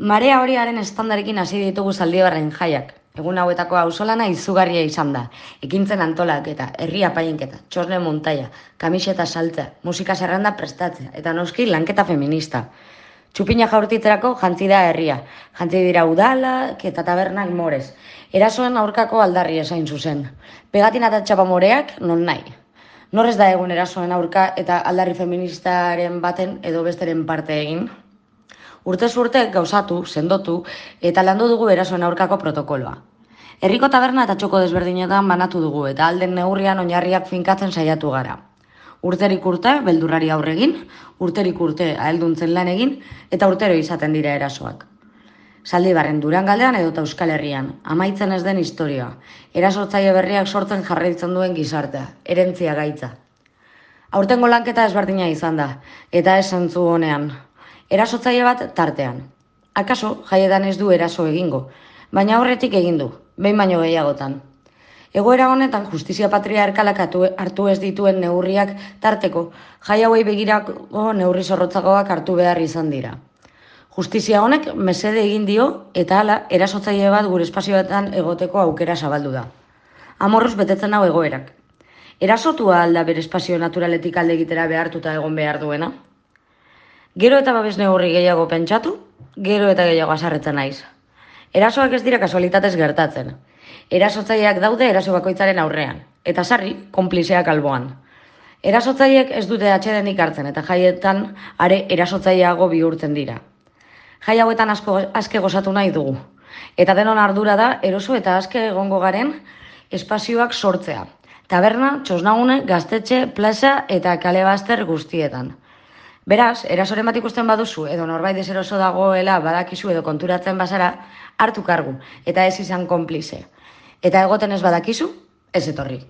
Marea horiaren estandarekin hasi ditugu Zaldibarren jaiak. Egun hauetako auzolana izugarria izan da. Ekintzen antolaketa, herri apainketa, txosne montaia, kamiseta saltzea, musika zerrenda prestatzea, eta noski lanketa feminista. Txupina jaurtitzerako jantzi da herria. Jantzi dira udalak eta tabernak morez. Erasoen aurkako aldarri esain zuzen. Pegatina eta txapamoreak non nahi. Norrez da egun erasoen aurka eta aldarri feministaren baten edo besteren parte egin? Urtez urte gauzatu, sendotu eta landu dugu erasoen aurkako protokoloa. Herriko taberna eta txoko desberdinetan banatu dugu eta alden neurrian oinarriak finkatzen saiatu gara. Urterik urte beldurrari aurre egin, urterik urte ahelduntzen lan egin eta urtero izaten dira erasoak. Zaldibarren, Durangaldean edota Euskal Herrian, amaitzen ez den historia, erasotzaile berriak sortzen jarraitzen duen gizartea, herentzia gaitza. Aurtengo lanketa ezberdina izan da, eta ez zentzu honean. Erasotzaile bat tartean. Akaso, jaietan ez du eraso egingo, baina horretik egin du, behin baino gehiagotan. Egoera honetan justizia patriarkalak hartu ez dituen neurriak tarteko, jai hauei begirako neurri zorrotzagoak hartu behar izan dira. Justizia honek mesede egin dio eta hala erasotzaile bat gure espazioetan egoteko aukera zabaldu da. Amorruz betetzen hau egoerak. Erasotua alda bere espazio naturaletik alde egitera behartuta egon behar duena? Gero eta babes neurri gehiago pentsatu, gero eta gehiago azarretzen naiz. Erasoak ez dira kasualitatez gertatzen. Erasotzaileak daude eraso bakoitzaren aurrean, eta sarri, konplizeak alboan. Erasotzaileek ez dute atsedenik hartzen eta jaietan are erasotzaileago bihurtzen dira. Jai hauetan aske gozatu nahi dugu, eta denon ardura da eroso eta aske egongo garen espazioak sortzea. Taberna, txosnagune, gaztetxe, plaza eta kale bazter guztietan. Beraz, erasoren bat ikusten baduzu edo norbait deseroso dagoela badakizu edo konturatzen bazara, hartu kargu eta ez izan konplize. Eta egoten ez badakizu, ez etorri.